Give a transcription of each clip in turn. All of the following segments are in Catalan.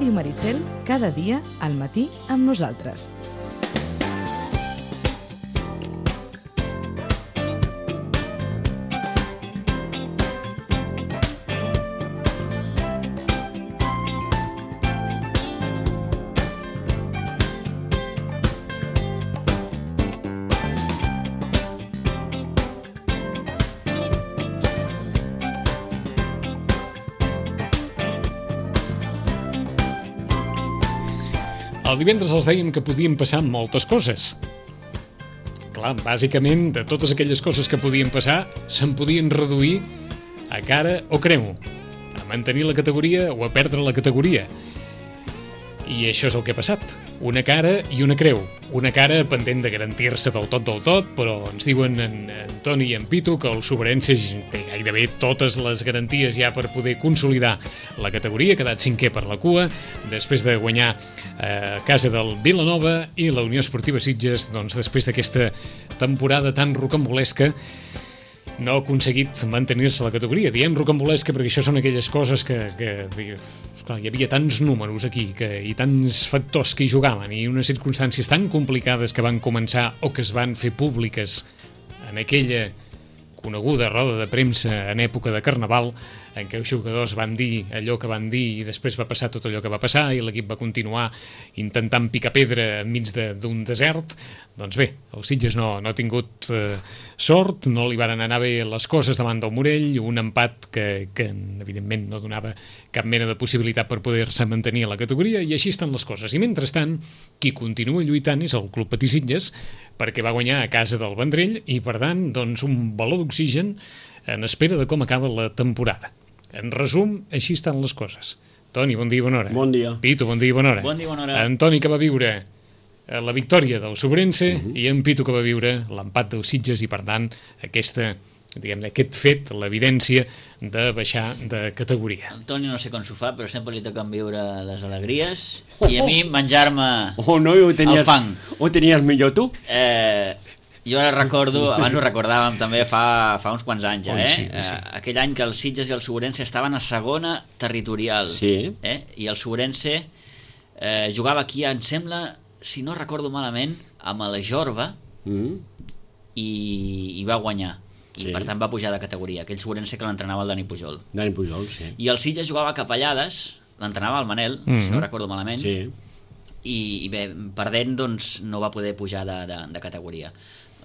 Ràdio Maricel, cada dia al matí amb nosaltres. El divendres els dèiem que podien passar moltes coses. Clar, bàsicament, de totes aquelles coses que podien passar, se'n podien reduir a cara o creu, a mantenir la categoria o a perdre la categoria. I això és el que ha passat. Una cara i una creu. Una cara pendent de garantir-se del tot, però ens diuen en Toni i en Pitu que el Sobrense té gairebé totes les garanties ja per poder consolidar la categoria, ha quedat cinquè per la cua, després de guanyar a casa del Vilanova, i la Unió Esportiva Sitges, doncs, després d'aquesta temporada tan rocambolesca, no ha aconseguit mantenir-se a la categoria. Diem rocambolesca perquè això són aquelles coses que esclar, hi havia tants números aquí i tants factors que hi jugaven i unes circumstàncies tan complicades que van començar o que es van fer públiques en aquella coneguda roda de premsa en època de Carnaval, en què els jugadors van dir allò que van dir i després va passar tot allò que va passar i l'equip va continuar intentant picar pedra enmig d'un desert. Doncs bé, el Sitges no ha tingut sort, no li van anar bé les coses davant del Morell, un empat que evidentment no donava cap mena de possibilitat per poder-se mantenir a la categoria, i així estan les coses. I mentrestant, qui continua lluitant és el Club Patí Sitges, perquè va guanyar a casa del Vendrell i, per tant, doncs, un baló d'oxigen en espera de com acaba la temporada. En resum, així estan les coses. Toni, bon dia i bona hora. Bon dia. Pitu, bon dia i bona hora. Bon dia i bona hora. En Toni, que va viure la victòria del Sobrense, i en Pitu, que va viure l'empat del Sitges, i per tant aquest fet, l'evidència de baixar de categoria. El Toni no sé com s'ho fa, però sempre li toquen viure les alegries i a mi menjar-me el fang. Ho tenies millor tu? Jo ara recordo, abans ho recordàvem també fa uns quants anys, Sí. aquell any que el Sitges i el Sobrense estaven a segona territorial, sí. I el Sobrense jugava aquí, em sembla, si no recordo malament, amb la Jorba, i va guanyar. I per tant va pujar de categoria. Aquell Sobrense que l'entrenava el Dani Pujol. Dani Pujol, sí. I el Sitges jugava a Capellades, l'entrenava el Manel, si no recordo malament, sí. I bé, perdent, doncs, no va poder pujar de categoria.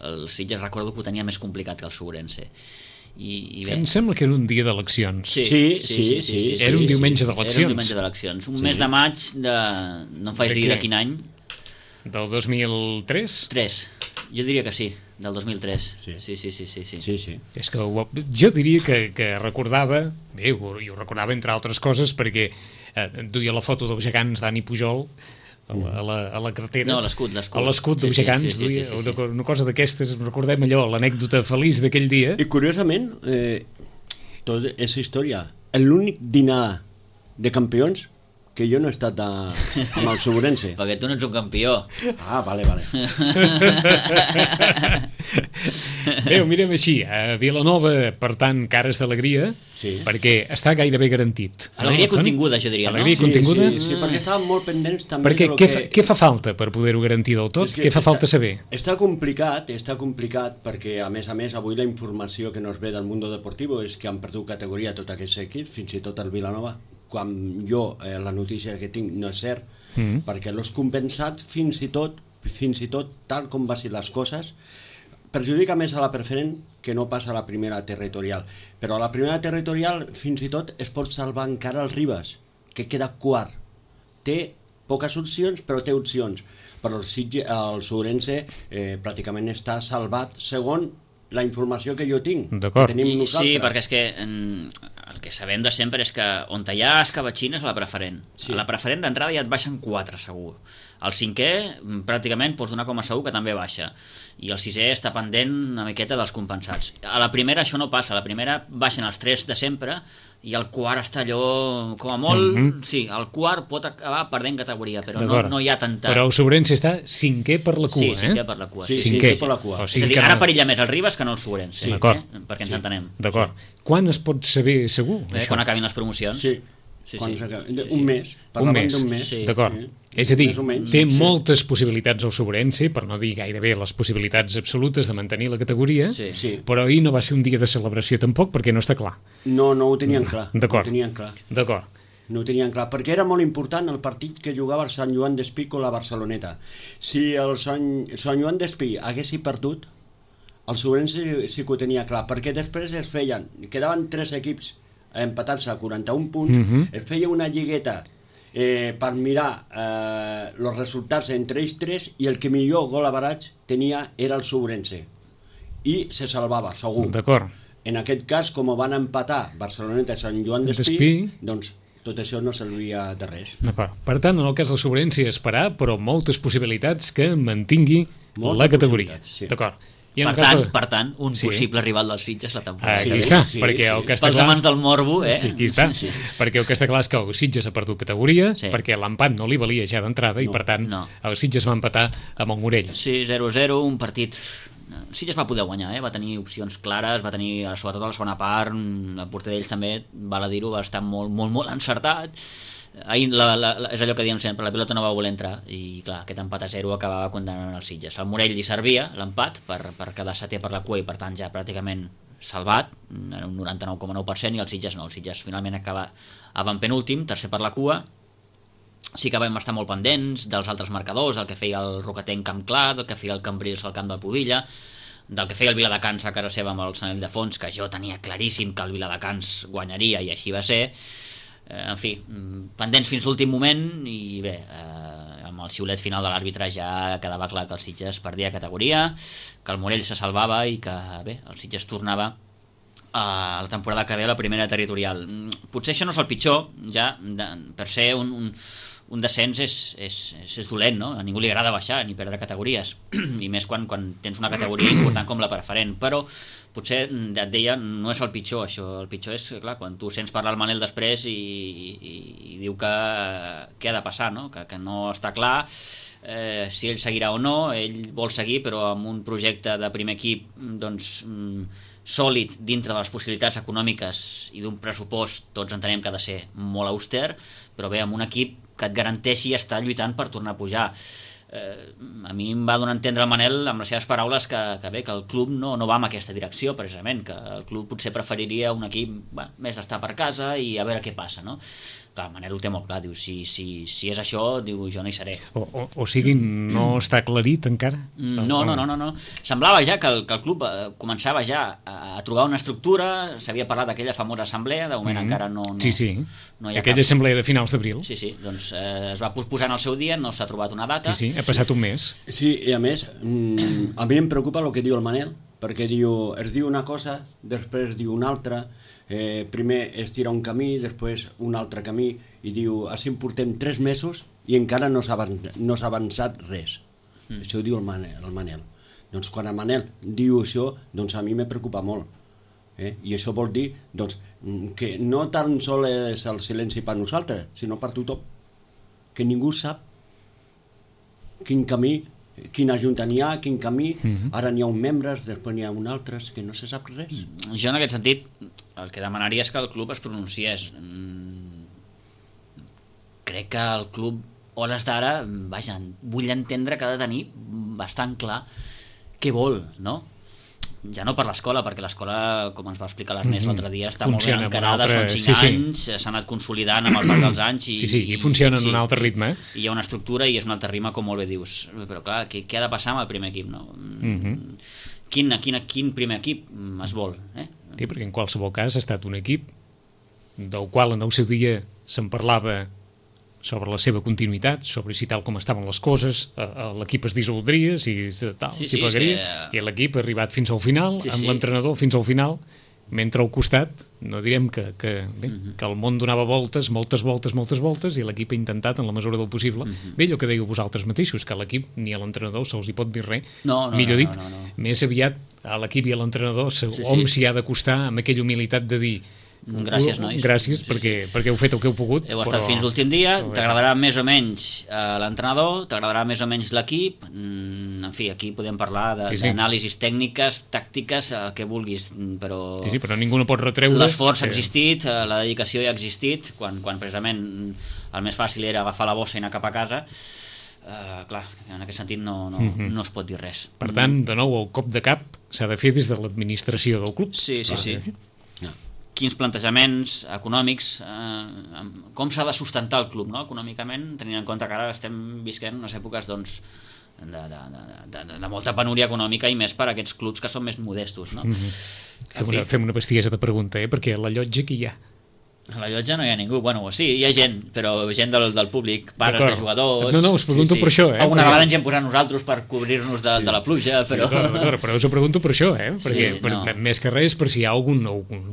El Sitges recordo que ho tenia més complicat que el Sobrense. I bé. Em sembla que era un dia d'eleccions. Sí. Era un diumenge d'eleccions. Era un diumenge d'eleccions. Un mes de maig de... no em faig dir de quin any. Del 2003? 3. Jo diria que sí, del 2003. Sí. És que jo diria que recordava, bé, jo ho recordava entre altres coses perquè duia la foto dels gegants Dani Pujol a la cartera. No, l'escut. A l'escut dels gegants duia una cosa d'aquestes, recordem allò, l'anècdota feliç d'aquell dia. I curiosament, tota aquesta història, l'únic dinar de campions que jo no he estat amb el Sobrense. Perquè tu no ets un campió. Ah, vale. Bé, ho mirem així. A Vilanova, per tant, cares d'alegria, perquè està gairebé garantit. Alegria continguda, jo diria, no? Alegria continguda? Sí, perquè estàvem molt pendents també perquè què fa falta per poder-ho garantir del tot? Què fa falta saber? Està complicat perquè, a més, avui la informació que nos ve del Mundo Deportivo és que han perdut categoria tot aquest equip, fins i tot el Vilanova. Quan jo, la notícia que tinc no és cert, perquè l'has compensat fins i tot, tal com va ser les coses, perjudica més a la preferent que no passa a la primera territorial. Però a la primera territorial, fins i tot, es pot salvar encara el Ribas, que queda quart. Té poques opcions, però té opcions. Però el Sobrense pràcticament està salvat segons la informació que jo tinc, que tenim nosaltres. Sí, perquè és que el que sabem de sempre és que on hi ha escabatxines a la preferent. Sí. A la preferent d'entrada ja et baixen 4 segur. El 5è pràcticament pots donar com a segur que també baixa. I el 6è està pendent una miqueta dels compensats. A la primera això no passa, a la primera baixen els 3 de sempre i el quart està allò, com a molt, sí, el quart pot acabar perdent categoria, però no hi ha tanta... Però el Sobrense està 5è per la cua, Sí, 5è per la cua. Sí, 5è per la cua. És a dir, ara perilla més el Ribas que no el Sobrense, perquè ens entenem. D'acord. Quan es pot saber segur? Quan acabin les promocions. Sí. Un mes. Parlaven d'un mes. D'acord. És a dir, té moltes possibilitats el Sobrense, per no dir gairebé les possibilitats absolutes de mantenir la categoria, però ahir no va ser un dia de celebració tampoc, perquè no està clar. No ho tenien clar. D'acord. No ho tenien clar, perquè era molt important el partit que jugava el Sant Joan d'Espí con la Barceloneta. Si el Sant Joan d'Espí haguessi perdut, el Sobrense sí que ho tenia clar, perquè després quedaven 3 equips empatats a 41 punts, es feia una lligueta per mirar els resultats entre ells 3 i el que millor gol average tenia era el Sobrense i se salvava, segur. D'acord. En aquest cas, com van empatar Barceloneta i Sant Joan d'Espí, doncs tot això no servia de res. D'acord. Per tant, en el cas del Sobrense esperar, però moltes possibilitats que mantingui la categoria. D'acord. Per tant, un possible rival dels Sitges la temporada. Aquí està, perquè el que està pels amants del morbo, Aquí està, perquè el que està clar és que el Sitges ha perdut categoria, perquè l'empat no li valia ja d'entrada i per tant el Sitges va empatar amb el Morell. Sí, 0-0, un partit... El Sitges va poder guanyar, va tenir opcions clares, va tenir, sobretot a la segona part, el porter d'ells també, val a dir-ho, va estar molt encertat. Ahir és allò que diem sempre, la pilota no va voler entrar i clar, aquest empat a 0 acabava condemnant els Sitges. El Morell li servia l'empat per quedar setè per la cua i per tant ja pràcticament salvat, era un 99,9%, i el Sitges no, el Sitges finalment acaba penúltim, tercer per la cua. Sí que vam estar molt pendents dels altres marcadors, el que feia el Rocatenc Camp Clar, el que feia el Cambrils al camp del Pubilla, del que feia el Viladecans a casa seva amb el Sanell de Fons, que jo tenia claríssim que el Viladecans guanyaria i així va ser. En fi, pendents fins l'últim moment i bé, amb el xiulet final de l'àrbitre ja quedava clar que el Sitges perdia categoria, que el Morell se salvava i que bé, el Sitges tornava a la temporada que ve a la primera territorial. Potser això no és el pitjor, ja per ser un descens és dolent, no? A ningú li agrada baixar ni perdre categories i més quan tens una categoria important com la preferent, però potser et deia, no és el pitjor això, el pitjor és, clar, quan tu sents parlar el Manel després i diu que què ha de passar, no? Que no està clar si ell seguirà o no, ell vol seguir però amb un projecte de primer equip doncs sòlid dintre de les possibilitats econòmiques i d'un pressupost, tots entenem que ha de ser molt auster, però bé, amb un equip que et garanteixi estar lluitant per tornar a pujar. A mi em va donar a entendre el Manel amb les seves paraules que bé, que el club no va en aquesta direcció precisament, que el club potser preferiria un equip més d'estar per casa i a veure què passa, no? Clar, Manel ho té molt clar, diu, si és això, diu, jo no hi seré. O sigui, no està aclarit encara? No. Semblava ja que el club començava ja a trobar una estructura, s'havia parlat d'aquella famosa assemblea, de moment encara no Sí, no hi ha aquella assemblea de finals d'abril. Sí, doncs es va posposar en el seu dia, no s'ha trobat una data. Sí, ha passat un mes. Sí, i a més, a mi em preocupa el que diu el Manel, perquè es diu una cosa, després diu una altra, primer es tira un camí, després un altre camí, i diu, així en portem 3 mesos i encara no s'ha avançat res. Això ho diu el Manel. Doncs quan el Manel diu això, doncs a mi me preocupa molt. I això vol dir doncs, que no tan sol és el silenci per nosaltres, sinó per tothom. Que ningú sap quin camí, quina junta n'hi ha, quin camí, ara n'hi ha un membres, després n'hi ha un altres, que no se sap res. Jo en aquest sentit el que demanaria és que el club es pronunciés. Crec que el club, hores d'ara, vaja, vull entendre que ha de tenir bastant clar què vol, no? Ja no per l'escola, perquè l'escola, com ens va explicar l'Ernest l'altre dia, està molt ben encarada, són 5 anys, s'ha anat consolidant amb el pas dels anys i funciona en un altre ritme. I hi ha una estructura i és un altre ritme, com molt bé dius. Però clar, què ha de passar amb el primer equip, no? Quin primer equip es vol? Sí, perquè en qualsevol cas ha estat un equip del qual en el seu dia se'n parlava sobre la seva continuïtat, sobre si tal com estaven les coses, l'equip es dissoldria, si plegaria, i l'equip ha arribat fins al final, amb l'entrenador fins al final, mentre al costat, no direm que el món donava voltes, moltes voltes, i l'equip ha intentat, en la mesura del possible, bé, allò que dèieu vosaltres mateixos, que a l'equip ni a l'entrenador se'ls hi pot dir res, millor dit, més aviat a l'equip i a l'entrenador hom s'hi ha d'acostar amb aquella humilitat de dir gràcies, nois. Gràcies, perquè heu fet el que heu pogut. Heu estat fins l'últim dia, t'agradarà més o menys l'entrenador, t'agradarà més o menys l'equip, en en fi, aquí podem parlar d'anàlisis tècniques, tàctiques, el que vulguis, però... Sí, però ningú no pot retreure... L'esforç ha existit, la dedicació ja ha existit, quan precisament el més fàcil era agafar la bossa i anar cap a casa. Clar, en aquest sentit no es pot dir res. Per tant, de nou, el cop de cap s'ha de fer des de l'administració del club. Sí. Quins plantejaments econòmics, com s'ha de sustentar el club, no? Econòmicament, tenint en compte que ara estem visquent unes èpoques doncs, de molta penúria econòmica i més per a aquests clubs que són més modestos, no? Fem una bestiesa de pregunta, perquè a la llotja qui hi ha? A la llotja no hi ha ningú, bueno, sí, hi ha gent, però gent del públic, pares de jugadors... No, us pregunto per això, Alguna vegada ens hi hem posat nosaltres per cobrir-nos de la pluja, però... D'acord, però us ho pregunto per això, perquè més que res per si hi ha algun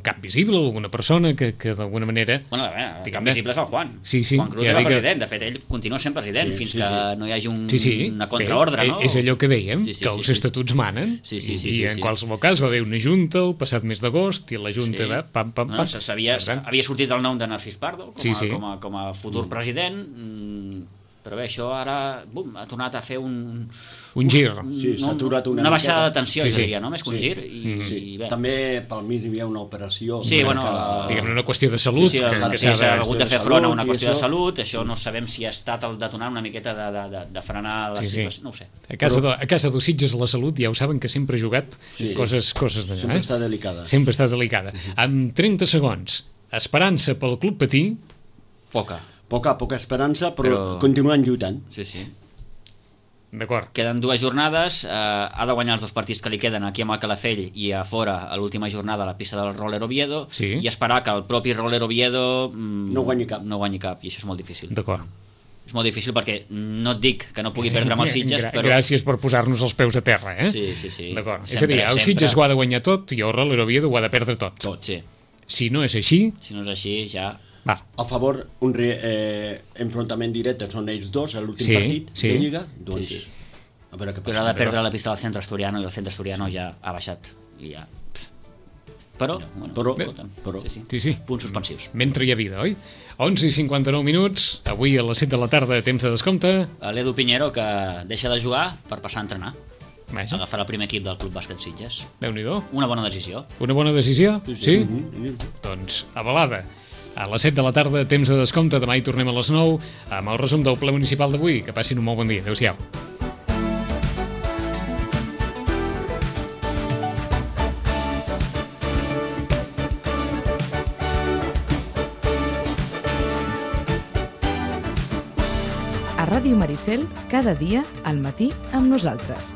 cap visible, alguna persona que d'alguna manera... Bueno, el cap visible és el Juan. Juan Cruz era president, de fet, ell continua sent president fins que no hi hagi una contraordre, no? És allò que dèiem, que els estatuts manen, i en qualsevol cas va haver una junta el passat mes d'agost, i la junta va pam. Havia sortit el nom de Narcís Pardo com a futur president, però bé, això ara ha tornat a fer un gir. S'ha aturat una baixada de tensió, jo diria, no? Més que un gir. I bé. També pel mig hi havia una operació. Diguem-ne una qüestió de salut. Que s'ha hagut de fer front a una qüestió de salut, això no sabem si ha estat el detonant una miqueta de frenar la situació, no ho sé. A casa dels Sitges la salut ja ho saben que sempre ha jugat coses d'allà. Sempre està delicada. Sempre està delicada. Amb 30 segons, esperança pel club patí? Poca esperança, però continuen lluitant. Sí. D'acord. Queden 2 jornades, ha de guanyar els 2 partits que li queden aquí amb el Calafell i a fora a l'última jornada a la pista del Roller Oviedo, i esperar que el propi Roller Oviedo no guanyi cap, i això és molt difícil. D'acord. És molt difícil perquè no et dic que no pugui perdre amb els Sitges, però... Gràcies per posar-nos els peus a terra, Sí. D'acord. És a dir, el Sitges ho ha de guanyar tot i el Roller Oviedo ho ha de perdre tot. Sí. Si no és així, ja... A favor, un enfrontament directe són ells dos a l'últim partit de Lliga, doncs a veure què passa. Però ha de perdre la pista del Centre Asturiano i el Centre Asturiano ja ha baixat i ja... Però punts suspensius. Mentre hi ha vida, oi? 11:59, avui a les 7 de la tarda, temps de descompte. L'Edu Piñero, que deixa de jugar per passar a entrenar. Agafar el primer equip del Club Bàsquet Sitges. Déu-n'hi-do. Una bona decisió. Una bona decisió? Sí? Doncs avalada. A les 7 de la tarda, temps de descompte. Demà hi tornem a les 9 amb el resum del ple municipal d'avui. Que passin un molt bon dia. Adéu-siau. A Ràdio Maricel, cada dia al matí amb nosaltres.